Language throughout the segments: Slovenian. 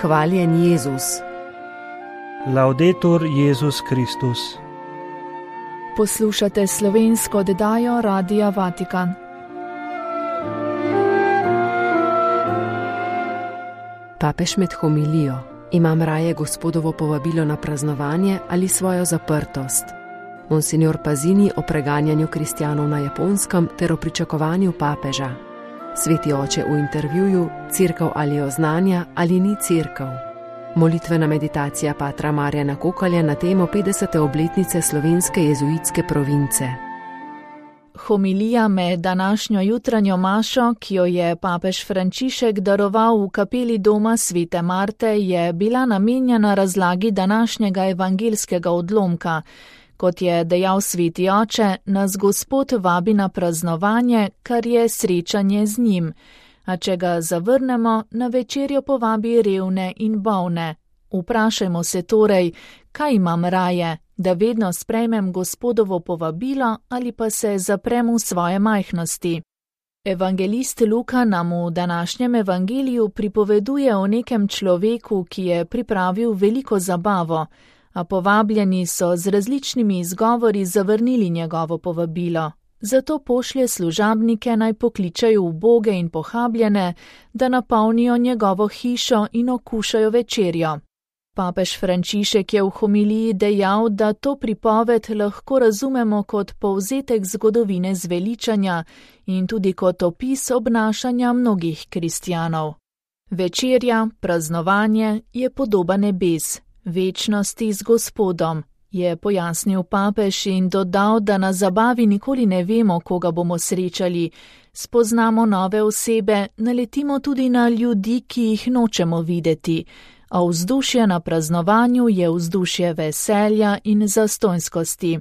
Hvaljen Jezus. Laudetur Jezus Kristus. Poslušate slovensko oddajo Radia Vatikan. Papež med homilijo: imam raje Gospodovo povabilo na praznovanje ali svojo zaprtost? Monsignor Pasini o preganjanju kristjanov na Japonskem ter o pričakovanju papeža. Sveti oče v intervjuju: Cerkev ali oznanja ali ni cerkev. Molitvena meditacija patra Marjana Kokalja na temo 50. obletnice slovenske jezuitske province. Homilija med današnjo jutranjo mašo, ki jo je papež Frančišek daroval v kapeli doma Svete Marte, je bila namenjena razlagi današnjega evangeljskega odlomka. Kot je dejal sveti oče, nas Gospod vabi na praznovanje, kar je srečanje z njim. A če ga zavrnemo, na večerjo povabi revne in bolne. Vprašajmo se torej, kaj imam raje, da vedno sprejmem Gospodovo povabilo ali pa se zaprem v svoje majhnosti. Evangelist Luka nam v današnjem evangeliju pripoveduje o nekem človeku, ki je pripravil veliko zabavo, a povabljeni so z različnimi izgovori zavrnili njegovo povabilo. Zato pošlje služabnike naj pokličajo uboge in pohabljene, da napolnijo njegovo hišo in okušajo večerjo. Papež Frančišek je v homiliji dejal, da to pripoved lahko razumemo kot povzetek zgodovine zveličanja in tudi kot opis obnašanja mnogih kristjanov. Večerja, praznovanje je podoba nebes, večnosti z Gospodom, je pojasnil papež in dodal, da na zabavi nikoli ne vemo, koga bomo srečali. Spoznamo nove osebe, naletimo tudi na ljudi, ki jih nočemo videti. A vzdušje na praznovanju je vzdušje veselja in zastonjskosti.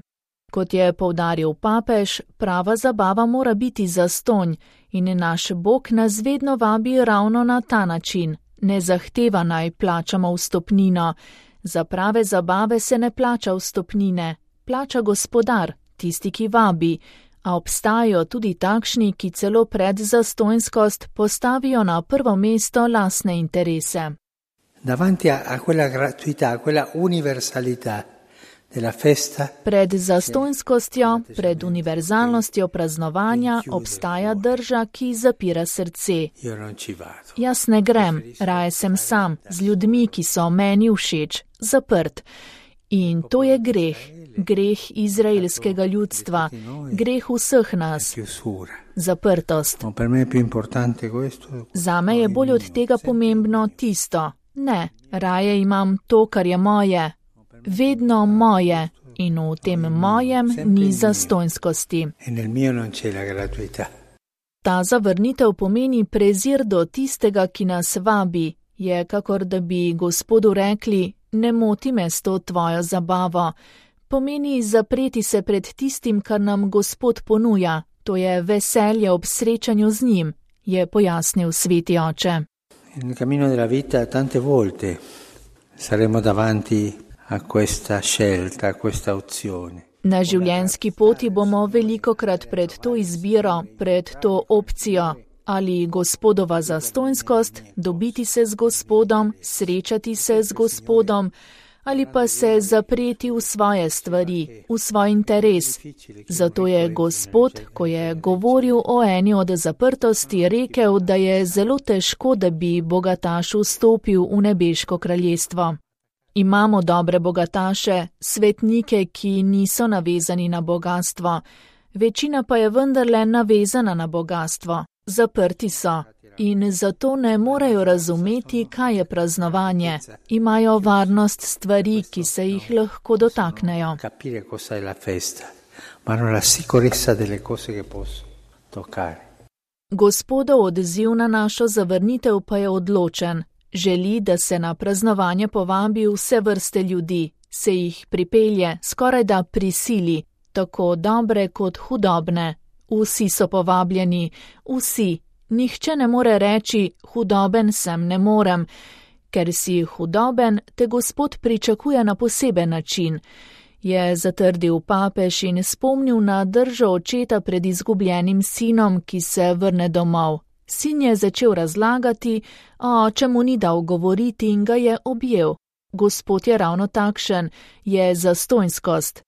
Kot je poudaril papež, prava zabava mora biti zastonj in naš Bog nas vedno vabi ravno na ta način. Ne zahteva naj plačamo vstopnino. Za prave zabave se ne plača vstopnine, plača Gospodar, tisti, ki vabi, a obstajajo tudi takšni, ki celo pred zastonjskost postavijo na prvo mesto lastne interese. Davanti a quella gratuità, a quella universalità della festa. Pred zastonjskostjo, pred univerzalnostjo praznovanja obstaja drža, ki zapira srce. Jaz ne grem, raje sem sam, z ljudmi, ki so meni všeč, zaprt. In to je greh izraelskega ljudstva, greh vseh nas. Zaprtost. Zame je bolj od tega pomembno tisto. Ne, raje imam to, kar je moje, vedno moje, in v tem mojem ni zastonjskosti. Ta zavrnitev pomeni prezir do tistega, ki nas vabi, je kakor da bi Gospodu rekli: ne moti me s to tvojo zabavo. Pomeni zapreti se pred tistim, kar nam Gospod ponuja, to je veselje ob srečanju z njim, je pojasnil sveti oče. Nel cammino della vita tante volte saremo davanti a questa scelta, a questa opzione. Na življenjski poti bomo velikokrat pred to izbiro, pred to opcijo, ali Gospodova zastonjskost, dobiti se z Gospodom, srečati se z Gospodom, ali pa se zapreti v svoje stvari, v svoj interes. Zato je Gospod, ko je govoril o eni od zaprtosti, rekel, da je zelo težko, da bi bogataš vstopil v nebeško kraljestvo. Imamo dobre bogataše, svetnike, ki niso navezani na bogastvo, večina pa je vendarle navezana na bogastvo. Zaprti so in zato ne morejo razumeti, kaj je praznovanje. Imajo varnost stvari, ki se jih lahko dotaknejo. Gospodov odziv na našo zavrnitev pa je odločen. Želi, da se na praznovanje povabi vse vrste ljudi, se jih pripelje, skorajda prisili, tako dobre kot hudobne. Vsi so povabljeni, vsi, Nihče ne more reči, hudoben sem ne morem. Ker si hudoben, te Gospod pričakuje na poseben način, je zatrdil papež in spomnil na držo očeta pred izgubljenim sinom, ki se vrne domov. Sin je začel razlagati, a oče mu ni dal govoriti in ga je objel. Gospod je ravno takšen, je zastonjskost.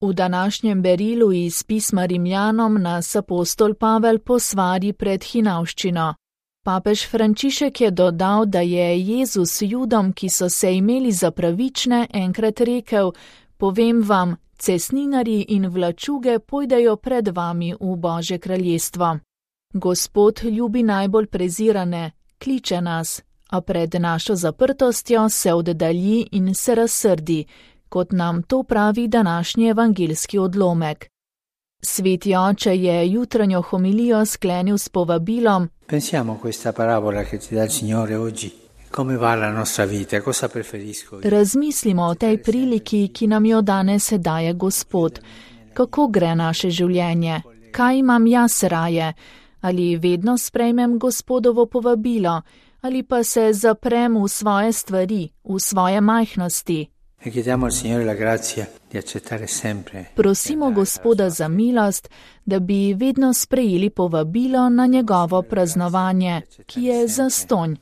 V današnjem berilu iz pisma Rimljanom nas apostol Pavel posvari pred hinavščino. Papež Frančišek je dodal, da je Jezus Judom, ki so se imeli za pravične, enkrat rekel: povem vam, cestninarji in vlačuge pojdejo pred vami v Božje kraljestvo. Gospod ljubi najbolj prezirane, kliče nas, a pred našo zaprtostjo se oddalji in se razsrdi, kot nam to pravi današnji evangeljski odlomek. Sveti oče je jutranjo homilijo sklenil s povabilom: Pensiamo a questa parabola che ci dà il Signore oggi. Come va la nostra vita? Cosa preferisco? Razmislimo o tej priliki, ki nam jo danes daje Gospod. Kako gre naše življenje? Kaj imam jaz raje? Ali vedno sprejmem Gospodovo povabilo? Ali pa se zaprem v svoje stvari, v svoje majhnosti? Prosimo Gospoda za milost, da bi vedno sprejeli povabilo na njegovo praznovanje, ki je zastonj.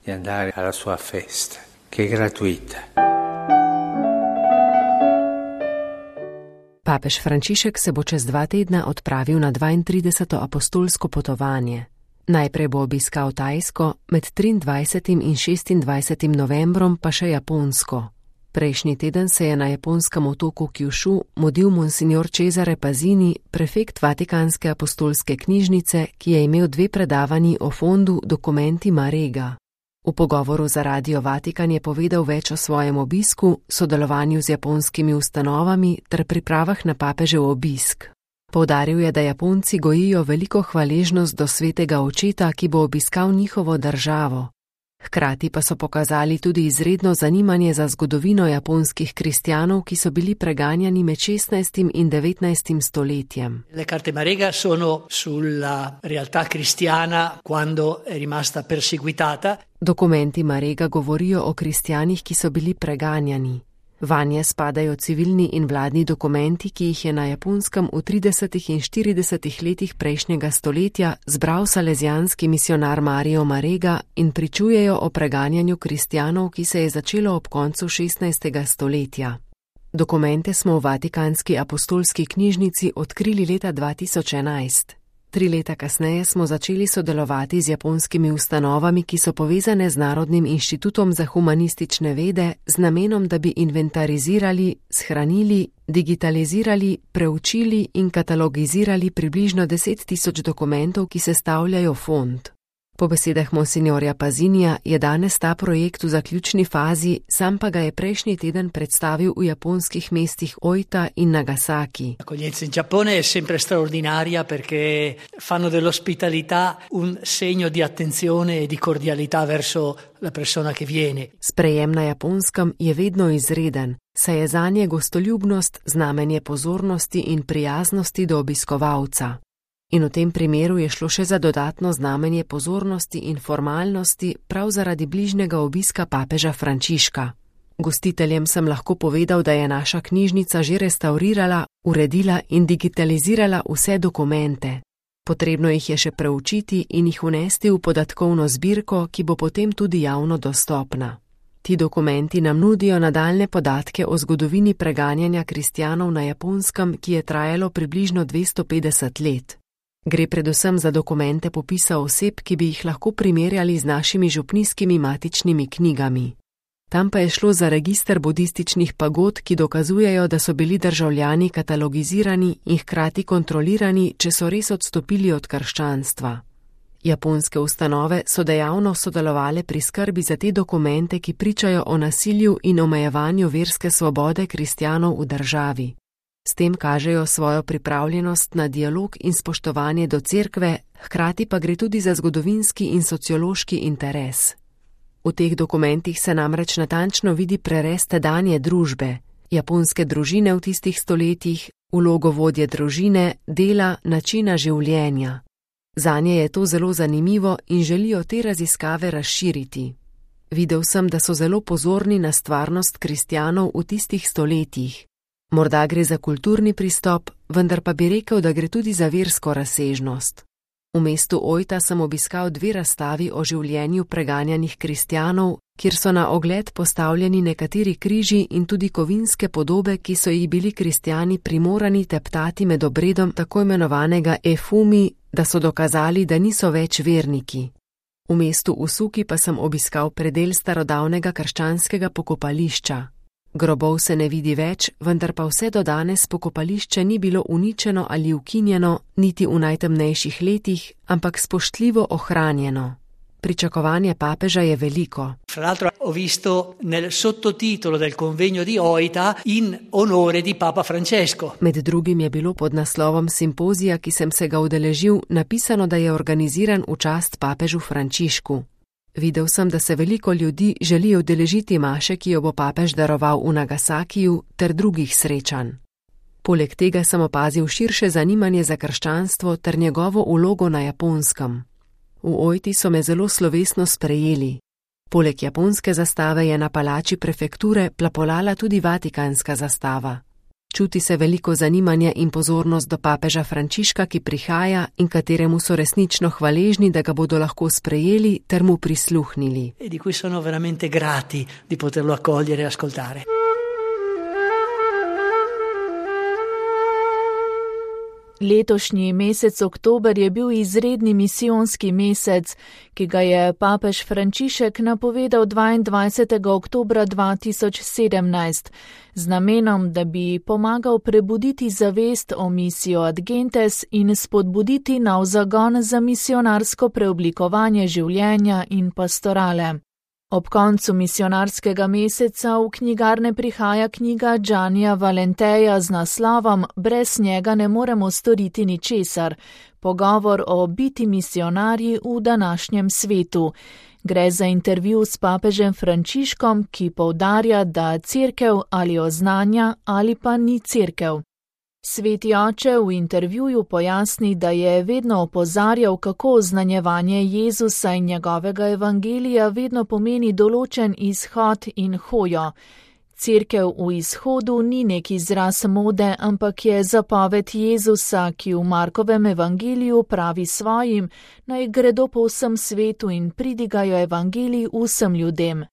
Papež Frančišek se bo čez 2 tedna odpravil na 32. apostolsko potovanje. Najprej bo obiskal Tajsko, med 23. in 26. novembrom pa še Japonsko. Prejšnji teden se je na japonskem otoku Kyushu mudil monsignor Cesare Pazini, prefekt Vatikanske apostolske knjižnice, ki je imel 2 predavanji o fondu Documenti Marega. V pogovoru za Radio Vatikan je povedal več o svojem obisku, sodelovanju z japonskimi ustanovami ter pripravah na papežev obisk. Poudaril je, da Japonci gojijo veliko hvaležnost do svetega očeta, ki bo obiskal njihovo državo. Hkrati pa so pokazali tudi izredno zanimanje za zgodovino japonskih kristjanov, ki so bili preganjani med 16. in 19. stoletjem. Le carte Marega sono sulla realtà cristiana quando è rimasta perseguitata. Dokumenti Marega govorijo o kristjanih, ki so bili preganjani. Vanje spadajo civilni in vladni dokumenti, ki jih je na Japonskem v 30. in 40. letih prejšnjega stoletja zbral salezijanski misionar Mario Marega in pričujejo o preganjanju kristjanov, ki se je začelo ob koncu 16. stoletja. Dokumente smo v Vatikanski apostolski knjižnici odkrili leta 2011. 3 leta kasneje smo začeli sodelovati z japonskimi ustanovami, ki so povezane z Narodnim inštitutom za humanistične vede, z namenom, da bi inventarizirali, shranili, digitalizirali, preučili in katalogizirali približno 10.000 dokumentov, ki sestavljajo fond. Po besedah monsignorja Pazinija je danes ta projekt v zaključni fazi, sam pa ga je prejšnji teden predstavil v japonskih mestih Oita in Nagasaki. L'accoglienza in Giappone è sempre straordinaria perché fanno dell'ospitalità un segno di attenzione e di cordialità verso la persona che viene. Sprejem na Japonskem je vedno izreden, saj je zanje gostoljubnost znamenje pozornosti in prijaznosti do obiskovalca. In v tem primeru je šlo še za dodatno znamenje pozornosti in formalnosti prav zaradi bližnjega obiska papeža Frančiška. Gostiteljem sem lahko povedal, da je naša knjižnica že restaurirala, uredila in digitalizirala vse dokumente. Potrebno jih je še preučiti in jih vnesti v podatkovno zbirko, ki bo potem tudi javno dostopna. Ti dokumenti nam nudijo nadaljne podatke o zgodovini preganjanja kristjanov na Japonskem, ki je trajalo približno 250 let. Gre predvsem za dokumente popisa oseb, ki bi jih lahko primerjali z našimi župnijskimi matičnimi knjigami. Tam pa je šlo za register budističnih pagod, ki dokazujejo, da so bili državljani katalogizirani in hkrati kontrolirani, če so res odstopili od krščanstva. Japonske ustanove so dejavno sodelovale pri skrbi za te dokumente, ki pričajo o nasilju in omejevanju verske svobode kristjanov v državi. S tem kažejo svojo pripravljenost na dialog in spoštovanje do cerkve, hkrati pa gre tudi za zgodovinski in sociološki interes. V teh dokumentih se namreč natančno vidi prerez tedanje družbe, japonske družine v tistih stoletjih, vlogo vodje družine, dela, načina življenja. Zanje je to zelo zanimivo in želijo te raziskave razširiti. Videl sem, da so zelo pozorni na stvarnost kristjanov v tistih stoletjih. Morda gre za kulturni pristop, vendar pa bi rekel, da gre tudi za versko razsežnost. V mestu Ojta sem obiskal 2 razstavi o življenju preganjanih kristjanov, kjer so na ogled postavljeni nekateri križi in tudi kovinske podobe, ki so jih bili kristjani primorani teptati med obredom tako imenovanega efumi, da so dokazali, da niso več verniki. V mestu Usuki pa sem obiskal predel starodavnega krščanskega pokopališča. Grobov se ne vidi več, vendar pa vse do danes pokopališče ni bilo uničeno ali ukinjeno, niti v najtemnejših letih, ampak spoštljivo ohranjeno. Pričakovanje papeža je veliko. Fra l'altro ho visto nel sottotitolo del convegno di Oita in onore di Papa Francesco. Med drugim je bilo pod naslovom simpozija, ki sem se ga udeležil, napisano, da je organiziran v čast papežu Frančišku. Videl sem, da se veliko ljudi želi udeležiti maše, ki jo bo papež daroval v Nagasakiju, ter drugih srečanj. Poleg tega sem opazil širše zanimanje za krščanstvo ter njegovo vlogo na Japonskem. V Ojti so me zelo slovesno sprejeli. Poleg japonske zastave je na palači prefekture plapolala tudi vatikanska zastava. Čuti se veliko zanimanja in pozornost do papeža Frančiška, ki prihaja in kateremu so resnično hvaležni, da ga bodo lahko sprejeli ter mu prisluhnili. E di cui sono veramente grati di poterlo accogliere e ascoltare. Letošnji mesec oktober je bil izredni misijonski mesec, ki ga je papež Frančišek napovedal 22. oktobra 2017, z namenom, da bi pomagal prebuditi zavest o misio ad gentes in spodbuditi nov zagon za misionarsko preoblikovanje življenja in pastorale. Ob koncu misionarskega meseca v knjigarne prihaja knjiga Giannija Valenteja z naslovom Brez njega ne moremo storiti ničesar. Pogovor o biti misionarji v današnjem svetu. Gre za intervju s papežem Frančiškom, ki poudarja, da cerkev ali oznanja ali pa ni cerkev. Sveti oče v intervjuju pojasni, da je vedno opozarjal, kako oznanjevanje Jezusa in njegovega evangelija vedno pomeni določen izhod in hojo. Cerkev v izhodu ni nek izraz mode, ampak je zapoved Jezusa, ki v Markovem evangeliju pravi svojim, naj gredo po vsem svetu in pridigajo evangelij vsem ljudem.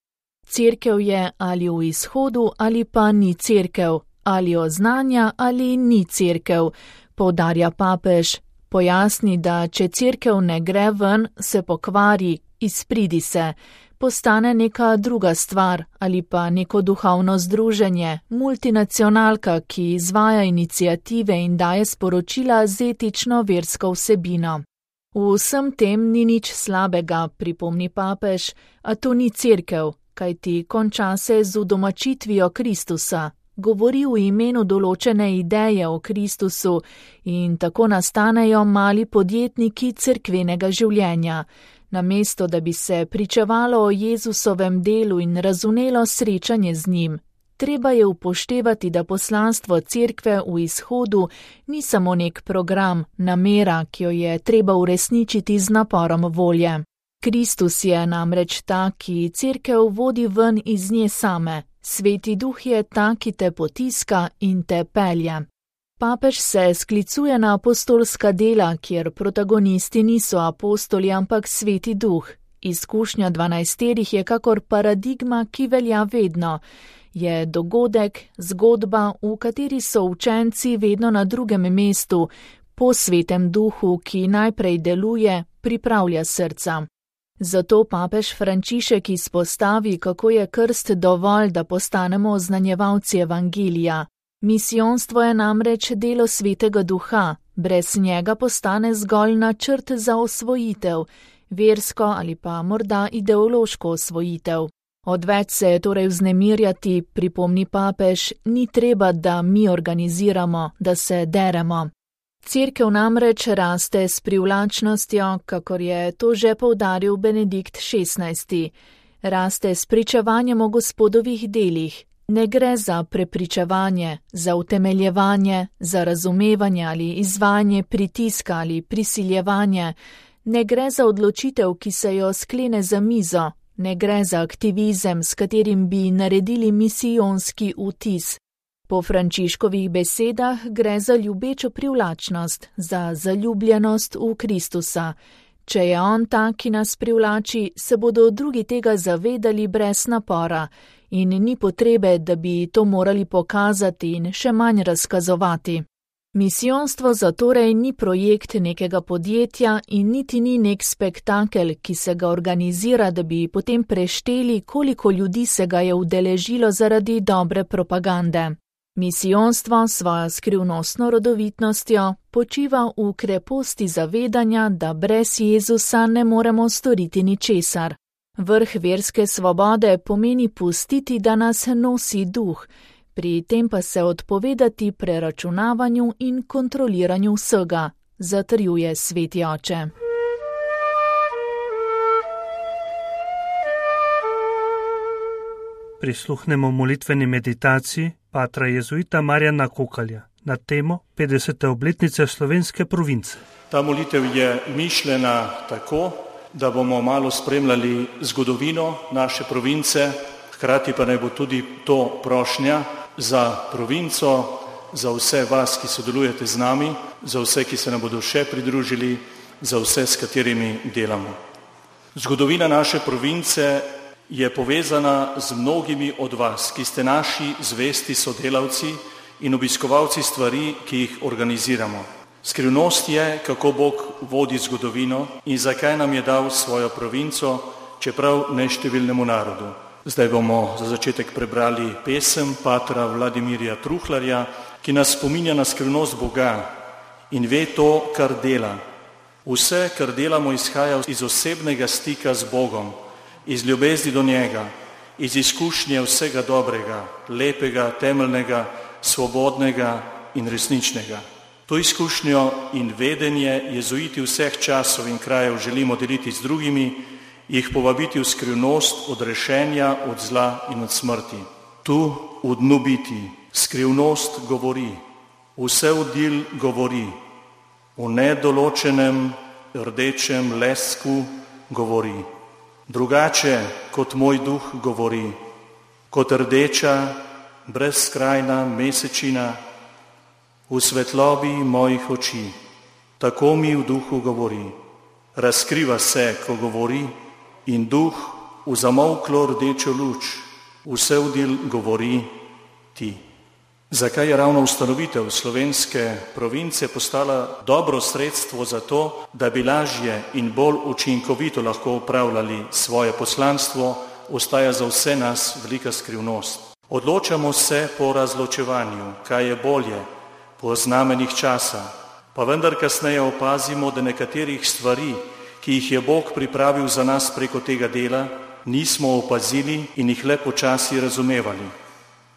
Cerkev je ali v izhodu ali pa ni cerkev. Ali oznanja ali ni cerkev, poudarja papež. Pojasni, da če cerkev ne gre ven, se pokvari, izpridi se, postane neka druga stvar ali pa neko duhovno združenje, multinacionalka, ki izvaja iniciative in daje sporočila z etično versko vsebino. V vsem tem ni nič slabega, pripomni papež, a to ni cerkev, kajti konča se z udomačitvijo Kristusa. Govori v imenu določene ideje o Kristusu in tako nastanejo mali podjetniki cerkvenega življenja. Namesto, da bi se pričevalo o Jezusovem delu in razumelo srečanje z njim, treba je upoštevati, da poslanstvo cerkve v izhodu ni samo nek program, namera, ki jo je treba uresničiti z naporom volje. Kristus je namreč ta, ki cerkev vodi ven iz nje same. Sveti duh je ta, ki te potiska in te pelje. Papež se sklicuje na apostolska dela, kjer protagonisti niso apostoli, ampak sveti duh. Izkušnja 12 je kakor paradigma, ki velja vedno. Je dogodek, zgodba, v kateri so učenci vedno na drugem mestu, po svetem duhu, ki najprej deluje, pripravlja srca. Zato papež Frančišek izpostavi, kako je krst dovolj, da postanemo oznanjevalci evangelija. Misijonstvo je namreč delo svetega duha, brez njega postane zgolj načrt za osvojitev, versko ali pa morda ideološko osvojitev. Odveč se je torej vznemirjati, pripomni papež, ni treba, da mi organiziramo, da se deremo. Cerkev namreč raste s privlačnostjo, kakor je to že poudaril Benedikt XVI. Raste s pričevanjem o Gospodovih delih. Ne gre za prepričevanje, za utemeljevanje, za razumevanje ali izvajanje pritiska ali prisiljevanje, ne gre za odločitev, ki se jo sklene za mizo, ne gre za aktivizem, s katerim bi naredili misijonski vtis. Po Frančiškovih besedah gre za ljubečo privlačnost, za zaljubljenost v Kristusa. Če je on ta, ki nas privlači, se bodo drugi tega zavedali brez napora in ni potrebe, da bi to morali pokazati in še manj razkazovati. Misijonstvo zatorej ni projekt nekega podjetja in niti ni nek spektakel, ki se ga organizira, da bi potem prešteli, koliko ljudi se ga je udeležilo zaradi dobre propagande. Misijonstvo svojo skrivnostno rodovitnostjo počiva v kreposti zavedanja, da brez Jezusa ne moremo storiti ničesar. Vrh verske svobode pomeni pustiti, da nas nosi duh, pri tem pa se odpovedati preračunavanju in kontroliranju vsega, zatrjuje Sveti Oče. Prisluhnemo molitveni meditaciji patra jezuita Marjana Kokalja na temo 50. obletnice slovenske province. Ta molitev je mišljena tako, da bomo malo spremljali zgodovino naše province, hkrati pa naj bo tudi to prošnja za provinco, za vse vas, ki sodelujete z nami, za vse, ki se nam bodo še pridružili, za vse, s katerimi delamo. Zgodovina naše province je povezana z mnogimi od vas, ki ste naši zvesti sodelavci in obiskovalci stvari, ki jih organiziramo. Skrivnost je, kako Bog vodi zgodovino in zakaj nam je dal svojo provinco, čeprav neštevilnemu narodu. Zdaj bomo za začetek prebrali pesem patra Vladimirja Truhlarja, ki nas spominja na skrivnost Boga in ve to, kar dela. Vse, kar delamo, izhaja iz osebnega stika z Bogom, iz ljubezni do njega, iz izkušnje vsega dobrega, lepega, temeljnega, svobodnega in resničnega. To izkušnjo in vedenje jezuiti vseh časov in krajev želimo deliti z drugimi, jih povabiti v skrivnost odrešenja od zla in od smrti. Tu v dnu biti skrivnost govori, vse vdil govori, v nedoločenem rdečem lesku govori. Drugače kot moj duh govori, kot rdeča, brezskrajna mesečina v svetlobi mojih oči. Tako mi v duhu govori. Razkriva se, ko govori, in duh v zamolklo rdečo luč, vse vdil govori ti. Zakaj je ravno ustanovitev slovenske province postala dobro sredstvo za to, da bi lažje in bolj učinkovito lahko upravljali svoje poslanstvo, ostaja za vse nas velika skrivnost. Odločamo se po razločevanju, kaj je bolje, po znamenjih časa, pa vendar kasneje opazimo, da nekaterih stvari, ki jih je Bog pripravil za nas preko tega dela, nismo opazili in jih le počasi razumevali.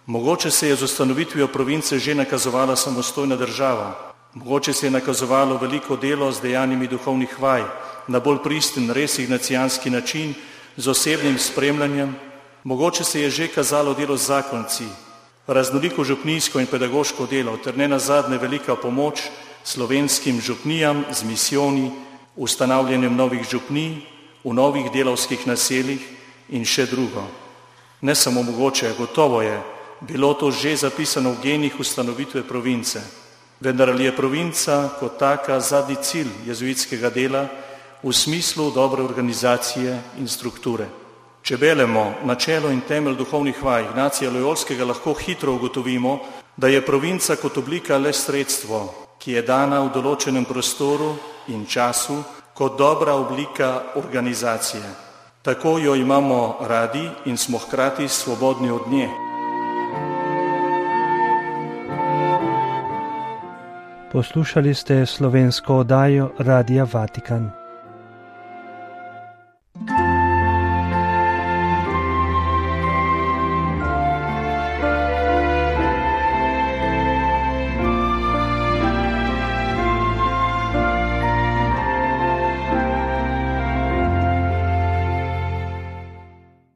Mogoče se je z ustanovitvijo province že nakazovala samostojna država, mogoče se je nakazovalo veliko delo z dejanjimi duhovnih vaj, na bolj pristen, res ignacijanski način, z osebnim spremljanjem, mogoče se je že kazalo delo z zakonci, raznoliko župnijsko in pedagoško delo, ter ne nazadnje velika pomoč slovenskim župnijam z misijoni, ustanavljanjem novih župnij, v novih delavskih naseljih in še drugo. Ne samo mogoče, gotovo je bilo to že zapisano v genih ustanovitve province. Vendar ali je provinca kot taka zadnji cilj jezuitskega dela v smislu dobre organizacije in strukture? Če beremo načelo in temelj duhovnih vaj Ignacija Lojolskega, lahko hitro ugotovimo, da je provinca kot oblika le sredstvo, ki je dana v določenem prostoru in času kot dobra oblika organizacije. Tako jo imamo radi in smo hkrati svobodni od nje. Poslušali ste slovensko oddajo Radia Vatikan.